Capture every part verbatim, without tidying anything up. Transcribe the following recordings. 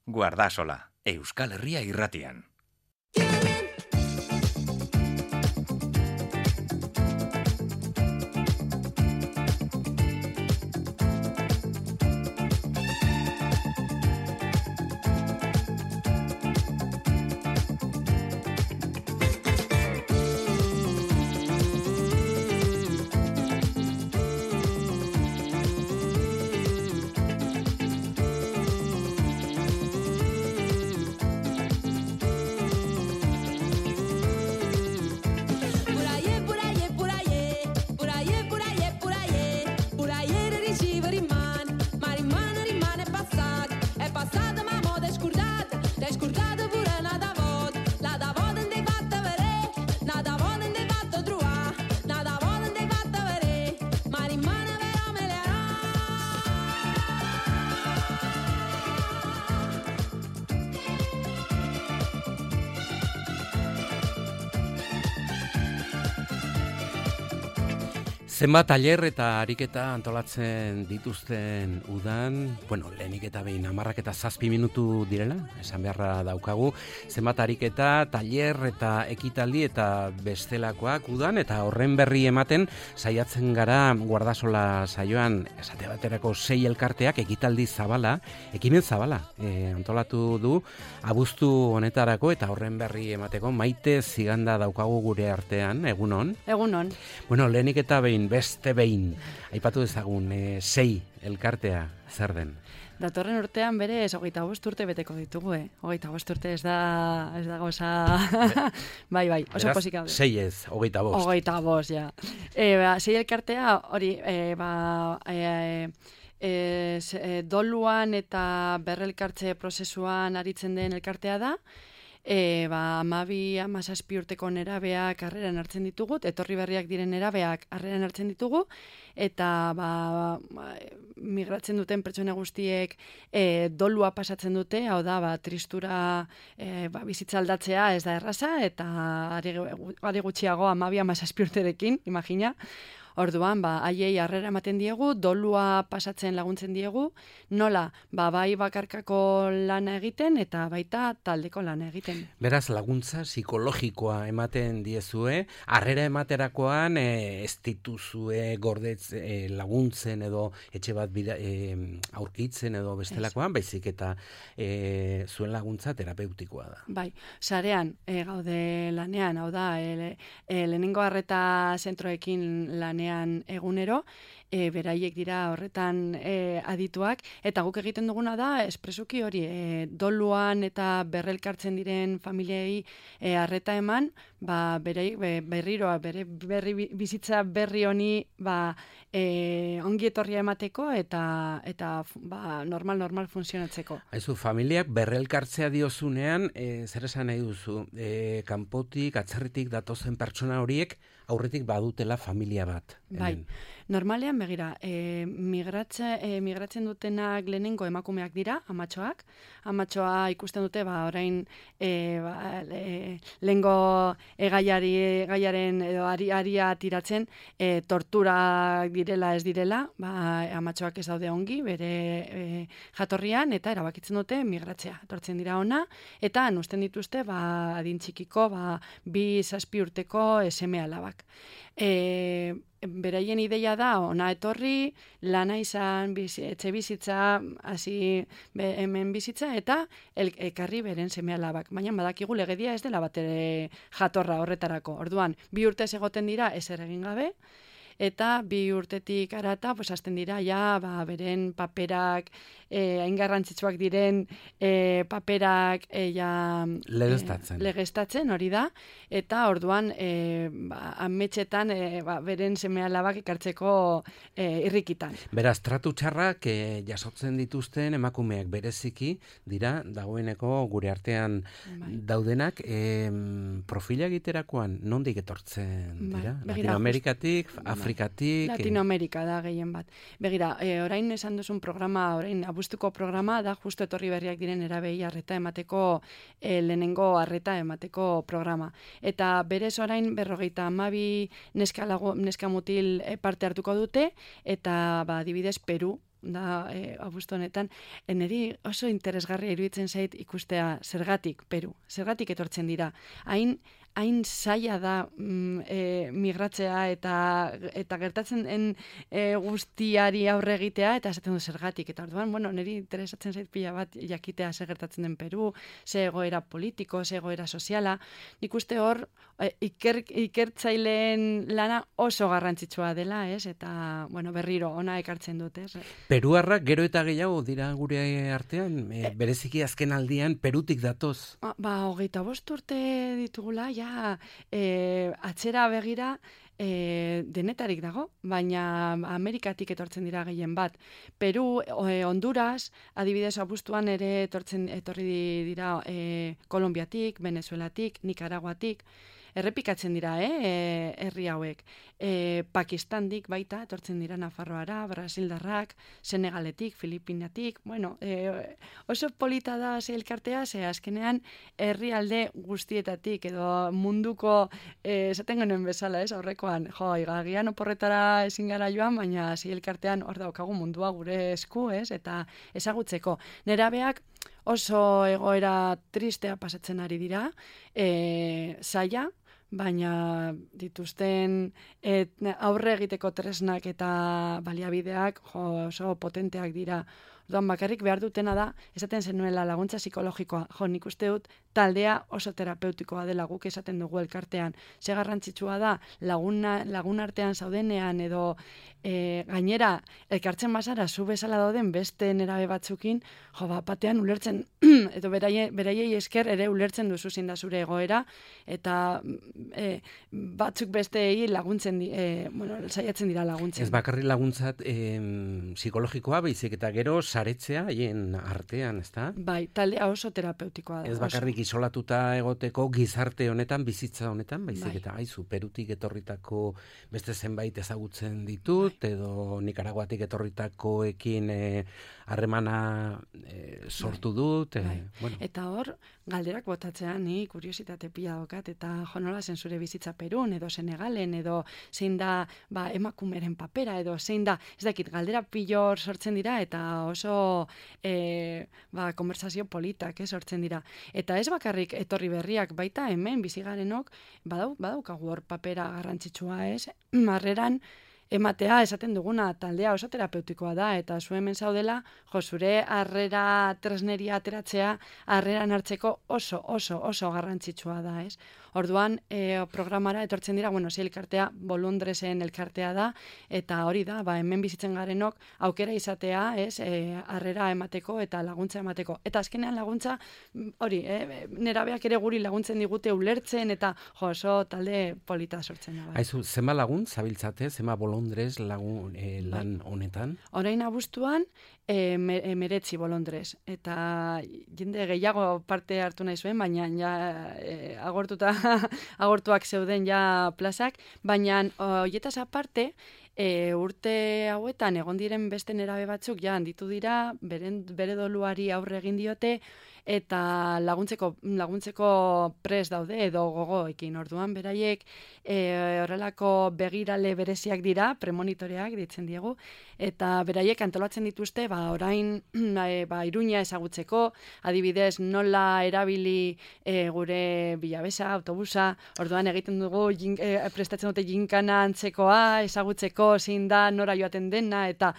Guardasola, Euskal Herria irratian. Zenbat tailer eta ariketa antolatzen dituzten udan, bueno, lehenik eta behin hamarrak eta zazpi minutu direla, esan beharra daukagu, zenbat ariketa, tailer eta ekitaldi eta bestelakoak udan, eta horren berri ematen saiatzen gara Guardasola saioan, esate baterako sei elkarteak ekitaldi zabala, ekimen zabala, e, antolatu du, abuztu honetarako, eta horren berri emateko Maite Ziganda daukagu gure artean, egunon? Egunon. Bueno, lehenik eta behin, beste behin, aipatu dezagun, e, sei elkartea zer den? Datorren urtean bere ez hogeita bost urte beteko ditugu, eh? Hogeita bost urte ez da, ez da goza... bai, bai, oso Beraz, posik daude. Sei ez, hogeita bost. Hogeita bost, ja. E, ba, sei elkartea, hori, e, ba... E, e, e, doluan eta berrelkartze prozesuan aritzen den elkartea da, E, ba, amabi, amazazpi urteko nerabeak harreran hartzen ditugu, etorri berriak diren nerabeak harreran hartzen ditugu, eta ba, ba, migratzen duten pertsona guztiek e, dolua pasatzen dute, hau da, ba, tristura e, ba, bizitza aldatzea ez da erraza, eta are, are gutxiago amabi, amazazpi urterekin, imagina. Orduan, ba, haiei harrera ematen diegu, dolua pasatzen laguntzen diegu, nola, ba, bai bakarkako lana egiten eta baita taldeko lana egiten. Beraz, laguntza psikologikoa ematen diezue, harrera ematerakoan e, ez dituzue gordetz e, laguntzen edo etxe bat bida, e, aurkitzen edo bestelakoan, baizik eta e, zuen laguntza terapeutikoa da. Bai, sarean e, gaude lanean, hau da, e, e, lehenengo arreta zentroekin lanean egunero, e, beraiek dira horretan e, adituak, eta guk egiten duguna da, espresuki hori, e, doluan eta berrelkartzen diren familiei e, arreta eman, ba, berei, be, berriroa, bere berri, bizitza berri honi ba, e, ongi etorria emateko eta, eta ba, normal-normal funtzionatzeko. Haizu, familiak berrelkartzea diozunean, e, zer esan nahi duzu, e, kanpotik, atzerritik datozen pertsona horiek, aurretik badutela familia bat. Bai, normalean begira, e, migratze, e, migratzen dutenak lehenengo emakumeak dira, amatxoak. Amatxoa ikusten dute, ba, orain e, ba, e, lehengo egaiari, gaiaren edo ari, aria tiratzen, e, torturak direla ez direla, ba, amatxoak ez daude ongi, bere e, jatorrian, eta erabakitzen dute migratzea. Tortzen dira ona, eta anusten dituzte, ba, adin txikiko, ba, bi zazpi urteko seme alabak. E, beraien ideia da ona etorri, lana izan, bizi, etxe bizitza, hasi hemen bizitza, eta el, ekarri beren seme alabak. Baina badakigu legedia ez dela batere jatorra horretarako. Orduan, bi urtez egoten dira ezer egin gabe, eta bi urtetik arata, pues, hasten dira, ja, ba, beren paperak, eh, hain garrantzitsuak diren eh, paperak eh, ja, legeztatzen. Eh, legeztatzen, hori da, eta orduan eh, ba, ametxetan eh, ba, beren seme alabak ekartzeko eh, irrikitan. Beraz, tratu txarrak eh, jasotzen dituzten emakumeak bereziki dira, dagoeneko gure artean bai. Daudenak, eh, profila egiterakoan nondik etortzen dira? Bai. Latinoamerikatik, Afrikatik... Latinoamerika da gehien bat. Begira, e, orain esan duzun programa, orain abuztuko programa da justu etorri berriak diren erabei arreta emateko, e, lehenengo arreta emateko programa. Eta berez orain berrogeita hamabi neska, lagu, neska mutil parte hartuko dute, eta ba, adibidez Peru, da e, abuztu honetan, eneri oso interesgarria iruditzen zait ikustea zergatik Peru, zergatik etortzen dira. Hain hain zaila da mm, e, migratzea eta eta gertatzen den e, guztiari aurre egitea eta esaten du zergatik. Eta orduan, bueno, niri interesatzen zait pila bat jakitea zer gertatzen den Peru, ze egoera politiko, ze egoera soziala. Nik uste hor e, iker, ikertzaileen lana oso garrantzitsua dela, ez? Eta, bueno, berriro ona ekartzen dut, ez? Peruarrak gero eta gehiago dira gure artean, e, bereziki azken aldian Perutik datoz. Ba, ba hogeita bost urte ditugula, ja, e, atzera begira e, denetarik dago, baina Amerikatik etortzen dira gehien bat. Peru, e, Honduras, adibidez abuztuan ere etortzen etorri dira e, Kolonbiatik, Venezuelatik, Nikaraguatik, errepikatzen dira, eh, herri hauek. E, Pakistandik baita, etortzen dira Nafarroara, Brasildarrak, Senegaletik, Filipinatik, bueno, e, oso polita da ze elkartea, ze azkenean herrialde guztietatik, edo munduko, e, esaten genuen bezala, ez, aurrekoan, jo, igagian oporretara ezin gara joan, baina ze elkartean hor daukagu mundua gure esku, ez, eta ezagutzeko. Nerabeak oso egoera tristea pasatzen ari dira, e, zaila, baina dituzten et, aurre egiteko tresnak eta baliabideak jo, oso potenteak dira. Orduan bakarrik behar dutena da, esaten zenuela laguntza psikologikoa. Jo, nik uste dut taldea oso terapeutikoa dela, guk esaten dugu elkartean. Ze garrantzitsua da laguna, lagun artean zaudenean edo e, gainera elkartzen bazara zu bezala dauden beste nerabe batzukin, jo, bat batean ulertzen edo beraiei, beraiei esker ere ulertzen duzu zein da zure egoera eta e, batzuk besteei laguntzen di, e, bueno, saiatzen dira laguntzen. Ez bakarri laguntzat e, psikologikoa, baizik eta gero saretzea haien artean, ezta? Bai, taldea oso terapeutikoa da. Ez bakarrik oso isolatuta egoteko gizarte honetan, bizitza honetan, baizik bai. Eta aizu, Perutik etorritako beste zenbait ezagutzen ditut, bai. Edo Nikaraguatik etorritakoekin harremana e, e, sortu bai. Dut. E, bai. Bueno. Eta hor, galderak botatzean, ni kuriositate pila dokat, eta jonola zen zure bizitza Perun, edo Senegalen, edo zein da ba, emakumeren papera, edo zein da, ez dakit, galdera pilor sortzen dira, eta oso e, ba, konversazio politak eh, sortzen dira. Eta ez bakarrik etorri berriak baita hemen bizigarenok badau badaukagu hor papera garrantzitsua, ez? Harreran ematea esaten duguna taldea oso terapeutikoa da eta zu hemen zaudela, jo zure harrera tresneria ateratzea harreran hartzeko oso oso oso garrantzitsua da, ez? Orduan, e, programara etortzen dira, bueno, zi elkartea Bolondresen elkartea da eta hori da, ba hemen bizitzen garenok aukera izatea, ez? E, harrera emateko eta laguntza emateko. Eta azkenean laguntza hori, eh, nerabeak ere guri laguntzen digute ulertzen eta jo, oso talde polita sortzen da. Bai. Aizu, zenba lagun zabiltzate, zenba Bolondres lagun e, lan honetan? Orain abuztuan e, meretzi Bolondres eta jende gehiago parte hartu nahi zuen, baina ja e, agortuta agortuak zeuden ja plazak, baina hoietaz aparte E, urte hauetan egon diren beste nerabe batzuk ja handitu dira, beren, bere doluari aurre egin diote eta laguntzeko laguntzeko pres daude edo gogoekin. Orduan beraiek e, horrelako begirale bereziak dira, premonitoreak ditzen diegu, eta beraiek antolatzen dituzte ba orain e, ba Iruña ezagutzeko, adibidez nola erabili e, gure Bilabesa autobusa, orduan egiten dugu jin, e, prestatzen dute jinkana antzekoa ezagutzeko zein da nora joaten dena eta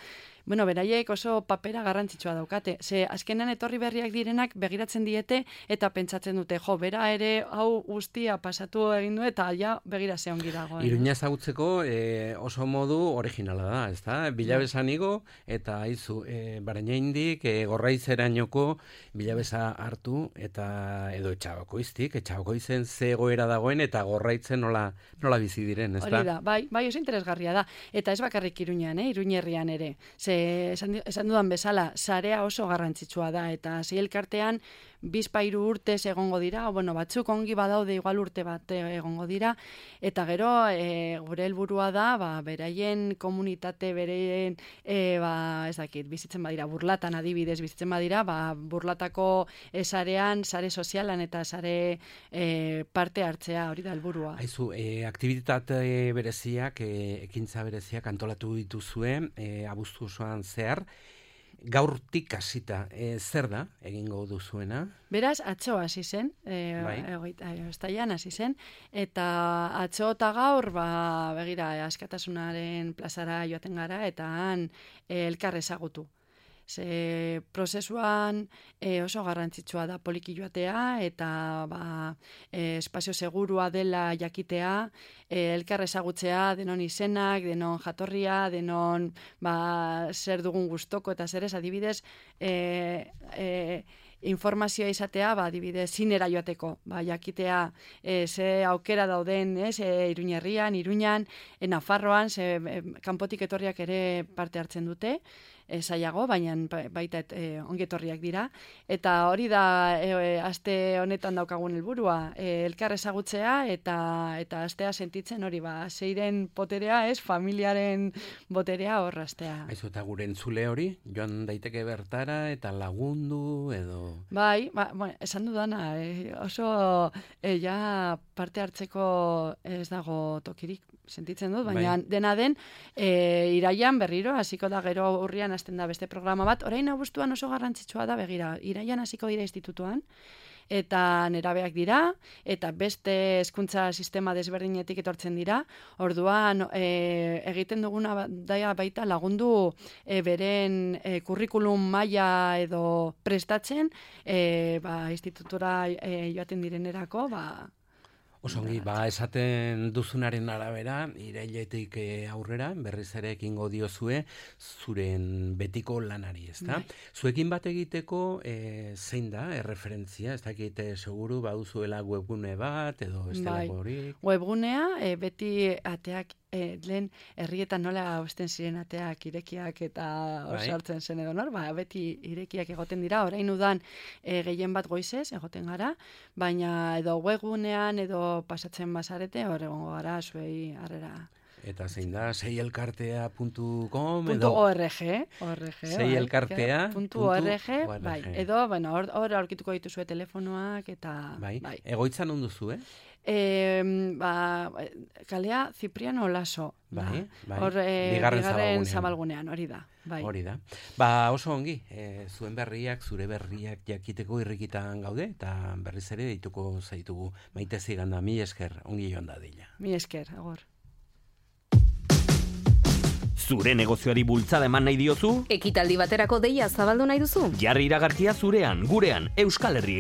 bueno, beraiek oso papera garrantzitsua daukate. Ze azkenean etorri berriak direnak begiratzen diete eta pentsatzen dute, jo, bera ere hau guztia pasatu egin du eta ja begira ze ongi dago. Iruña ezagutzeko e, oso modu originala da, ezta? Bilabesan igo eta aizu e, Barainaindik e, Gorraitzerainoko Bilabesa hartu eta edo Etxabakoiztik, Etxabakoizen ze egoera dagoen eta Gorraitzen nola nola bizi diren, ezta? Hori da, bai, bai oso interesgarria da. Eta ez bakarrik Iruñean, eh, Iruñerrian ere. Ze esan, esan dudan bezala, sarea oso garrantzitsua da, eta zei elkartean bizpairu urtez egongo dira, o, bueno, batzuk ongi badaude igual urte bat egongo dira, eta gero e, gure helburua da, ba, beraien komunitate, beraien, e, ba, ez dakit, bizitzen badira, burlatan adibidez, bizitzen badira, ba, burlatako e, sarean, sare sozialan eta sare e, parte hartzea, hori da helburua. Aizu, e, aktibitate bereziak, e, ekintza bereziak antolatu dituzue, e, abuztu osoan zehar, gaurtik hasita, e, zer da egingo duzuena? Beraz, atzo hasi zen, e, bai. ostailean hasi zen, eta atzo eta gaur, ba, begira, askatasunaren plazara joaten gara, eta han e, elkar ezagutu. Ze prozesuan e, oso garrantzitsua da poliki joatea eta ba, e, espazio segurua dela jakitea, e, elkar ezagutzea, denon izenak, denon jatorria, denon ba, zer dugun gustoko eta zer ez, adibidez, e, e, informazioa izatea, ba, adibidez, zinera joateko, ba, jakitea e, ze aukera dauden, ez, e, Iruñerrian, Iruñan, e, Nafarroan, ze e, kanpotik etorriak ere parte hartzen dute, e, zailago, baina baita e, ongetorriak dira, eta hori da e, e, aste honetan daukagun helburua, e, elkar ezagutzea eta eta astea sentitzen hori, ba, zeiren poterea, ez, familiaren boterea hor astea. Aizu, eta gure entzule hori, joan daiteke bertara eta lagundu edo... Bai, ba, bueno, esan dudana, e, oso e, ja parte hartzeko ez dago tokirik, sentitzen dut, baina bai. Dena den, e, iraian berriro, hasiko da gero urrian hasten da beste programa bat, orain abuztuan oso garrantzitsua da, begira, iraian hasiko dira institutuan, eta nerabeak dira, eta beste hezkuntza sistema desberdinetik etortzen dira, orduan e, egiten duguna daia baita lagundu e, beren e, kurrikulum maila edo prestatzen, e, ba, institutura e, joaten direnerako, ba, Osongi, ba, esaten duzunaren arabera, irailetik aurrera, berriz ere ekingo diozue, zuren betiko lanari, ezta? Bai. Zuekin bat egiteko, e, zein da, erreferentzia, ez dakite seguru, baduzuela webgune bat, edo ez dela horik? Bai, webgunea, e, beti ateak, e, lehen herrietan nola hausten ziren ateak irekiak eta osartzen bai. Zen edo nor, ba, beti irekiak egoten dira, orain udan e, gehien bat goizez egoten gara, baina edo webgunean edo pasatzen bazarete, hor egongo gara, zuei harrera. Eta zein da, seielkartea puntu com edo... .org, seielkartea puntu org, bai, edo, bueno, hor, hor aurkituko dituzue telefonoak, eta... Bai, bai. Egoitzan onduzu, eh? E, ba, kalea Cipriano Laso, bai, bai. Hor, e, bigarren, bigarren zabalgunean, hori da. Bai. Hori da. Ba, oso ongi, e, zuen berriak, zure berriak jakiteko irrikitan gaude, eta berriz ere dituko zaitugu Maite Ziganda, mi esker, ongi joan da dila. Mi esker, agor. Zure negozioari bultzada eman nahi diozu? Ekitaldi baterako deia zabaldu nahi duzu? Jarri iragarkia zurean, gurean, Euskal Herri